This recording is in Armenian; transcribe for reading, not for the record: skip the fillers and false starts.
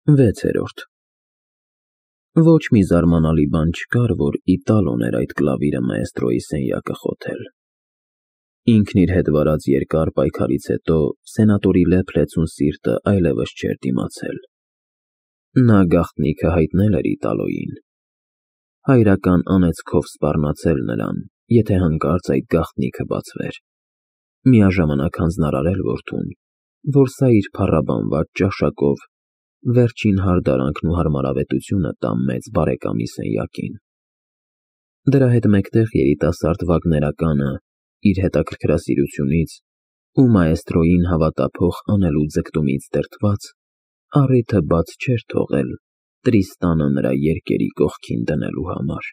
6-րդ Ոչ մի զարմանալի բան չկար, որ Իտալոն էր այդ կլավիրը մաեստրոյի սենյակը խոթել։ Ինքն իր հետ վարած երկար պայքարից հետո սենատորի լեփ-լեցուն սիրտը այլևս չէր դիմացել։ Նա գաղտնիքը հայտնել էր Իտալոյին։ Հայրական անեծքով սպառնացել նրան, եթե հանկարծ այդ գաղտնիքը բացվեր, միաժամանակ հանձնարարել որդուն, որ սա իր փառաբանված ճաշակով վերջին հարդարանքն ու հարմարավետությունը տա մեծ բարեկամի սենյակին։ Դրա հետ մեկտեղ երիտասարդ վագներականը իր հետաքրքրասիրությունից ու մաեստրոյին հավատափող անելու ձգտումից դրդված առիթը բաց չէր թողել Տրիստանը նրա երկերի կողքին դնելու համար։